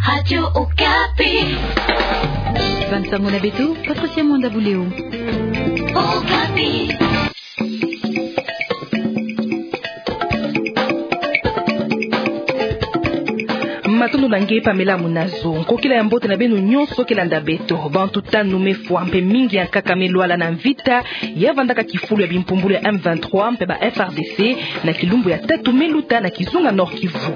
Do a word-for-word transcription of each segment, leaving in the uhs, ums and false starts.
Radio Okapi. Bansango na beto, Patricia Mwanda Buleo. Okapi. Matondo na nge Pamela Munazo. Nkokila ya mbote na beno nyonso ke landa beto. Bantu tanu me fwa mpe mingi ya nkaka me lwala na mvita ya vandaka kifulu ya bimpumbulu ya M vingt-trois mpe ba F R D C na kilumbu ya tatu me luta na kizunga Nord-Kivu.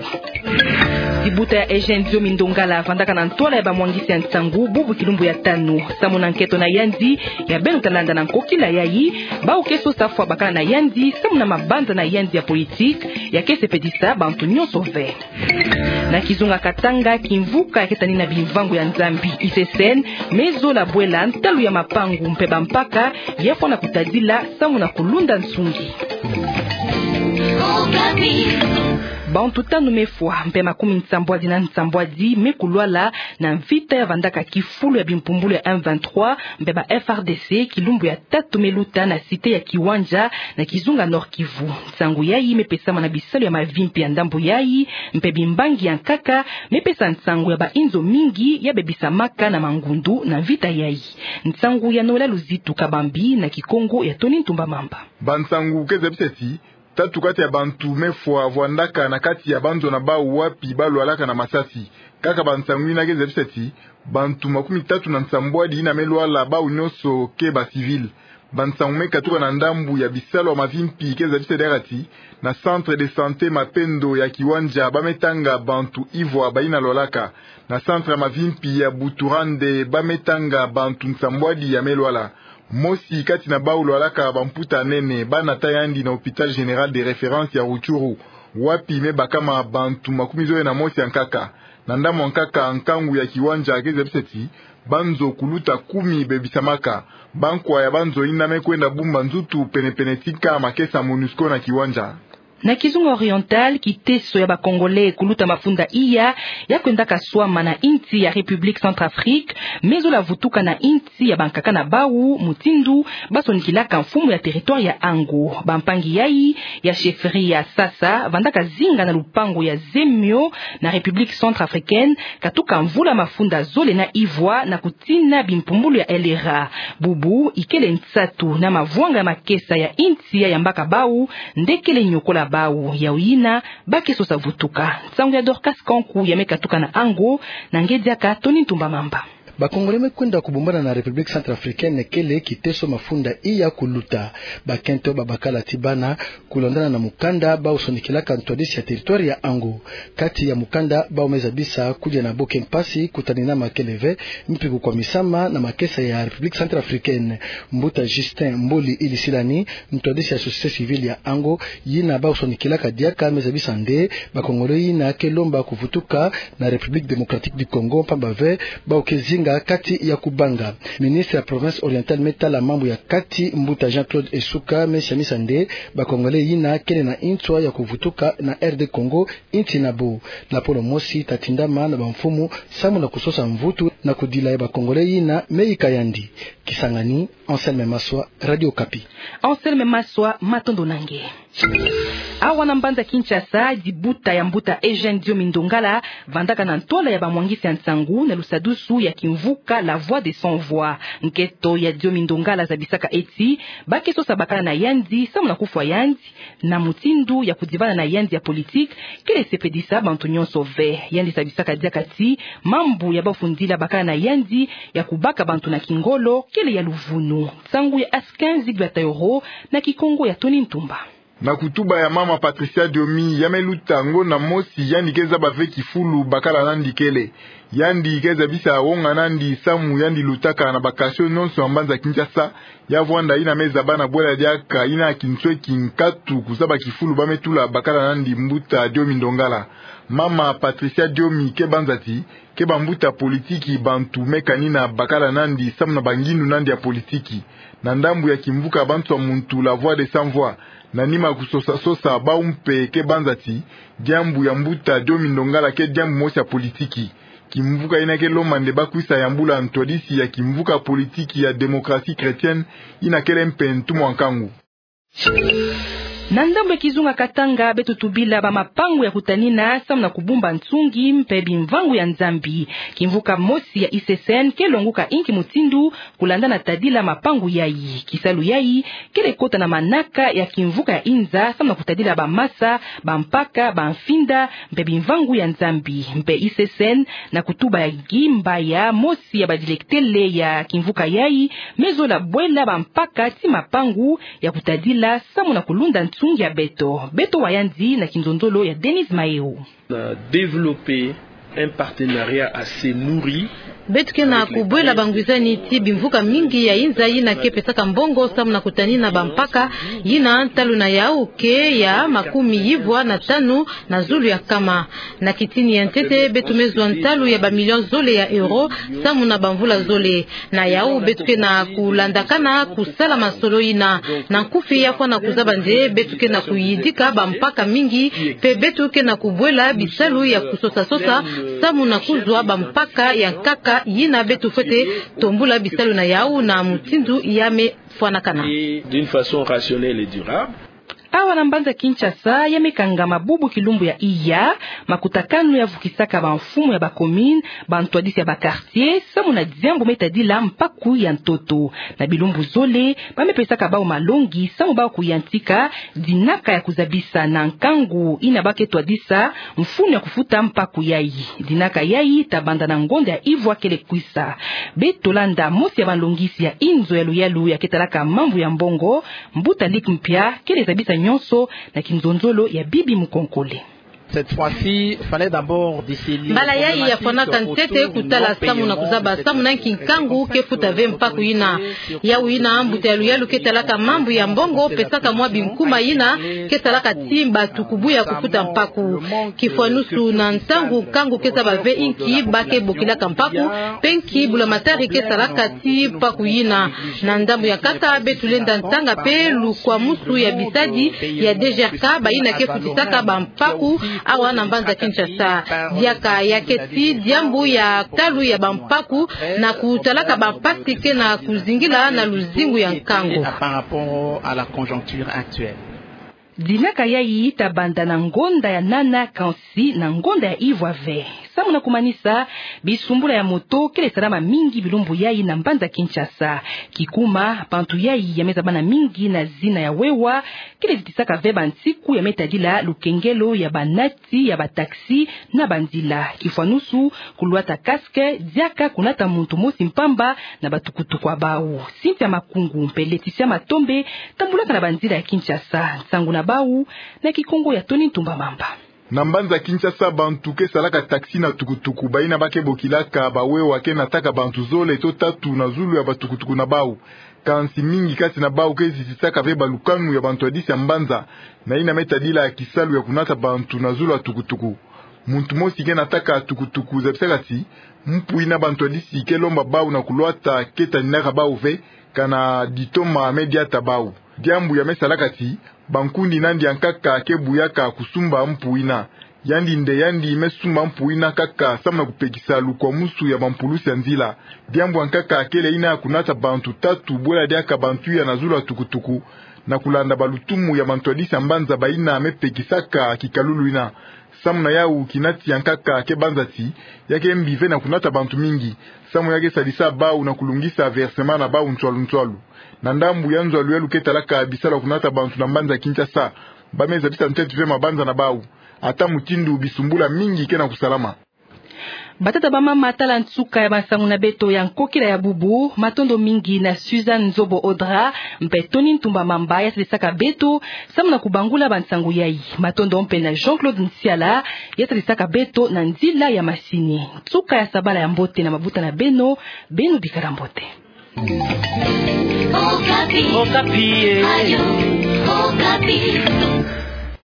Dibuta ya Eugène Diomi Ndongala vandaka na ntwala ya bamwangisi ya nsangu bubu kilumbu ya tanu. Samu na nketo na yandi ya beno ta landa na nkokila yayi, bawu ke sosa fwa bakala na yandi samu na mabanza na yandi ya politique ya ke sepelisa bantu nyonso ve. Na kizunga Katanga, kimvuka ya ke tanina bimvango ya Nzambi, I C C N, me zola bwela ntalu ya mapangu mpe bampaka ya fwana kutadila samu na kulunda nsungi. Bantu tanu me fwa mpe makumi nsambwadi na nsambwadi me kulwala na mvita ya vandaka kifulu ya bimpumbulu ya M vingt-trois mpe ba F R D C kilumbu ya tatu me luta na cité ya Kiwanja na kizunga Nord-Kivu. Nsangu yayi me pesama na bisalu ya mavimpi ya ndambu yayi, mpe bimbangi ya nkaka me pesa nsangu ya bainzo mingi ya bebisamaka na mangundu na mvita yayi. Nsangu ya Noëlla Luzitu Kabambi na Kikongo ya Tony Ntumba Mamba. Bansangu ke zebisa ti tatu kati ya bantu me fwa vwandaka na kati ya banzo na bawu wapi ba lwalaka na masasi. Kaka bansangu yina ke zebisa ti bantu makumi tatu na nsambwadi yina me lwala, bawu nyonso ke ba civil. Bansangu me katuka na ndambu ya bisalu ya mavimpi ke zebisa diaka ti na centre de santé Mapendo ya Kiwanja ba me tanga bantu ivwa bayina lwalaka. Na centre ya mavimpi ya Buturande ba me tanga bantu nsambwadi ya me lwala. Mosi kati na bawu lwalaka bamputa nene ba nata yandi na hôpital général de référence ya Rutshuru, wapi me bakama bantu makumi zole na mosi ya nkaka. Na ndambu ya nkaka, nkangu ya Kiwanja ke zebisa ti banzo kuluta kumi bebisamaka. Bankwa ya banzo yina me kwenda bumba nzutu penepene tika makesa MONUSCO na Kiwanja. Na kizunga Oriental, kiteso ya ba Congolais kuluta mafunda iya ya kwendaka swama na insi ya République Centrafrique me zola vutuka na insi ya bankaka na bawu, mutindu ba sonikilaka mfumu ya territoire ya Ango. Bampangi yayi ya chefferie ya Sasa vandaka zinga na lupangu ya Zemio na République Centrafricaine, katuka mvula mafunda zole na ivwa na kutina bimpumbulu ya L R A. Bubu ikele nsatu na mavwanga ya makesa ya insi ya yambaka bawu nde kele nyokola bawu, yawu yina ba ke sosa vutuka. Nsangu ya Dorcas Kanku ya me katuka na Ango, na nge diaka Tony Ntumba Mamba. Ba Congolais me kwenda kubumbana na République Centrafricaine kele kiteso mafunda iya kuluta. Bakento babakala ti bana, kulandana na mukanda bawu sonikilaka ntwadisi ya territoire ya Ango. Kati ya mukanda bawu me zabisa kudia na bo ke mpasi, kutanina makele ve, mpi kukwamisama na makesa ya République Centrafricaine. Mbuta Justin Mboli Ilisilani, ntwadisi ya société civile ya Ango, yina bawu sonikilaka diaka, me zabisa nde ba Congolais yina ke lomba kuvutuka na République Démocratique du Congo, mpamba ve bawu ke zinga kati ya kubanga. Ministre ya province orientale me tala mambu ya kati, mbuta Jean-Claude Esuka, me siamisa nde ba Congolais yina kele na nswa ya kuvutuka na R D Congo, insi na bo. Lapolo mosi ta tindama na bamfumu samu na kusosa mvutu na kudila ya ba Congolais yina me yika yandi. Kisangani, Anselme Maswa, Radio Okapi. Anselme Maswa, matondo na nge. Awa na mbanza Kinshasa, dibuta ya mbuta Eugène Diomi Ndongala vandaka na ntwala ya bamwangisi ya nsangu na lusadusu ya kimvuka La Voix des Sans Voix. Nketo ya Diomi Ndongala zabisaka ti ba ke sosa bakala na yandi samu na kufwa yandi, na mutindu ya kudibana na yandi ya politique kele sepelisa bantu nyonso ve. Yandi zabisaka diaka ti mambu ya bafundila bakala na yandi ya kubaka bantu na kingolo kele ya luvunu. Nsangu ya Askin Zigbataillot na Kikongo ya Tony Ntumba. Na kutuba ya mama Patricia Diomi, ya me luta ngonda mosi, yandi ke zaba ve kifulu bakala nandi kele. Yandi ke zabisa wonga nandi samu yandi lutaka na ba quartiers nyonso ya mbanza Kinshasa, ya vwanda yina me zaba na bwela diaka yina kinsweki nkatu kuzaba kifulu ba me tula bakala nandi mbuta Diomi Ndongala. Mama Patricia Diomi ke banza ti ke bambuta politiki bantu me kanina bakala nandi samu na bangindu nandi ya politiki. Na ndambu ya kimvuka bantu ya muntu La Voix des Sans Voix, na nima kusosa sosa, bawu mpe ke banza ti diambu ya mbuta Diomi Ndongala ke diambu mosi ya politiki. Kimvuka yina ke lomba nde ba kwisa yambula ntwadisi ya kimvuka politiki ya démocratie chrétienne, yina kele mpe ntumwa nkangu. Na ndambu ya kizunga Katanga, beto tubila bamapangu ya kutanina samu na kubumba nsungi mpe bimvangu ya Nzambi. Kimvuka mosi ya I C C N ke longuka inki mutindu kulanda na tadila mapangu yayi. Kisalu yayi kele kota na manaka ya kimvuka ya inza samu na kutadila bamasa, bampaka, bamfinda mpe bimvangu ya Nzambi. Mpe I C C N na kutuba ya ngimbaya mosi ya badilektele ya kimvuka yayi me zola bwela bampaka ti mapangu ya kutadila samu na kulunda nsungi ya beto. Beto wa yandi na kinzonzolo ya Denise Maeo. On a développé un partenariat assez nourri. Beto ke na kubwela bangwizani ti bimvuka mingi ya inza yina ke pesaka mbongo samu na kutanina bampaka, yina ntalu na yau ke ya makumi yivwa na tanu na zulu ya nkama. Na kitini ya ntete, beto me zwa ntalu ya bamilio zole ya euro samu na bamvula zole. Na yau beto ke na kulandakana kusala masolo yina. Na nkufi, ya fwana kuzaba nde beto ke na kuyidika bampaka mingi, mpe beto ke na kubwela bisalu ya kusosa-sosa samu na kuzwa bampaka ya nkaka yina beto fwete tombula bisalu na yau na mutindu ya me fwanakana. Et d'une façon rationnelle et durable. Awa na mbanza Kinshasa, ya me kangama bubu kilumbu ya iya, makutakanu ya vukisaka bamfumu ya bacommune, bantwadisi ya baquartier, samu na diambu me tadila mpaku ya ntoto. Na bilumbu zole, ba me pesaka bau malongi samu bau kuyantika dinaka ya kuzabisa na nkangu yina ba ke twadisa mfunu ya kufuta mpaku yayi. Dinaka yayi ta banda na ngonda ya ivwa kele kwisa. Beto landa mosi ya balongisi ya inzo ya luyalu ya ke talaka mambu ya mbongo, Mbuta Luc Mpia, kele zabisa nyonso na kinzonzolo ya Bibi Mukonkole. Cette fois-ci, fallait d'abord déceler. Mbala yayi ya fwanaka ntete kutala samu na kuzaba samu na nki nkangu ke futa ve mpaku yina. Yau yina mbuta ya luyalu ke talaka mambu ya mbongo pesaka mwa binkuma yina ke salaka ti batu kubuya kufuta mpaku. Kifwanusu na ntangu nkangu ke zaba ve inki ba ke bokilaka mpaku, mpe nki bula matari ke salaka ti mpaku yina. Na ndambu ya nkaka, beto lenda ntanga mpe lukwamusu ya bisadi ya D G R K, bayina ke futisaka bampaku awa na mbanza Kinshasa. Diaka ya ke ti diambu ya ntalu ya bampaku na kutalaka bampasi ke na kuzingila na luzingu ya nkangu. Par rapport à la conjoncture actuelle. Dinaka yayi ta banda na ngonda ya nana kansi na ngonda ya ivwa ve. Samu na kumanisa, bisumbula ya moto kele salama mingi bilumbu yayi na mbanza Kinshasa. Kikuma, bantu yayi ya me zabana mingi na zina ya wewa, kele zitisaka ve bansiku ya me tadila lukengelo ya banati ya bataxi na banzila. Kifwanusu, kulwata casque, diaka kunata muntu mosi mpamba na batukutuku ya bau. Cynthia Makungu mpe Laetitia Matombe tambulaka na banzila ya Kinshasa. Nsangu na bau na Kikongo ya Tony Ntumba Mamba. Na mbanza Kinshasa, bantu ke salaka taxi na tukutuku, bayina ba ke bokilaka bawewa, ke nataka bantu zole to tatu na zulu ya batukutuku na bau. Kansi mingi kati na bau ke zitisaka ve balukanu ya bantwadisi ya mbanza, na yina me tadila kisalu ya kunata bantu na zulu ya tukutuku. Muntu mosi ke nataka tukutuku zabisaka ti mpu yina bantwadisi ke lomba bau na kulwata ke taninaka bau ve, kana ditoma me diata bau. Diambu ya me salaka ti bankundi nandi ya nkaka ke buyaka kusumba mpu yina. Yandi nde yandi me sumba mpu yina nkaka samu na kupekisa lukwamusu ya bampulusi ya nzila. Diambu ya nkaka kele yina ya kunata bantu tatu bwela diaka bantu ya na zulu ya tukutuku, na kulanda balutumu ya bantwadisi ya mbanza bayina me pekisaka kikalulu yina. Samu na yau, kinati ya nkaka ke banza ti ya ke mbi ve na kunata bantu mingi, samu ya ke sadisa bau na kulungisa versement na bau ntswalu ntswalu. Na ndambu ya nzo ya luyalu ke talaka bisalu ya kunata bantu na mbanza Kinshasa, ba me zabisa ntete ve mabanza na bau, ata mutindu bisumbula mingi ke na kusalama. Batata, bamama, tala nsuka ya bansangu na beto ya nkokila ya bubu. Matondo mingi na Suzanne Nzobo Audra mpe Tony Ntumba Mamba ya sadisaka beto samu na kubangula bansangu yayi. Matondo mpe na Jean-Claude Nsiala ya sadisaka beto na nzila ya masini. Nsuka ya sabala ya mbote na mabuta na beno, beno bikala mbote. Okapi. Okapi, eh. Ayo, Okapi.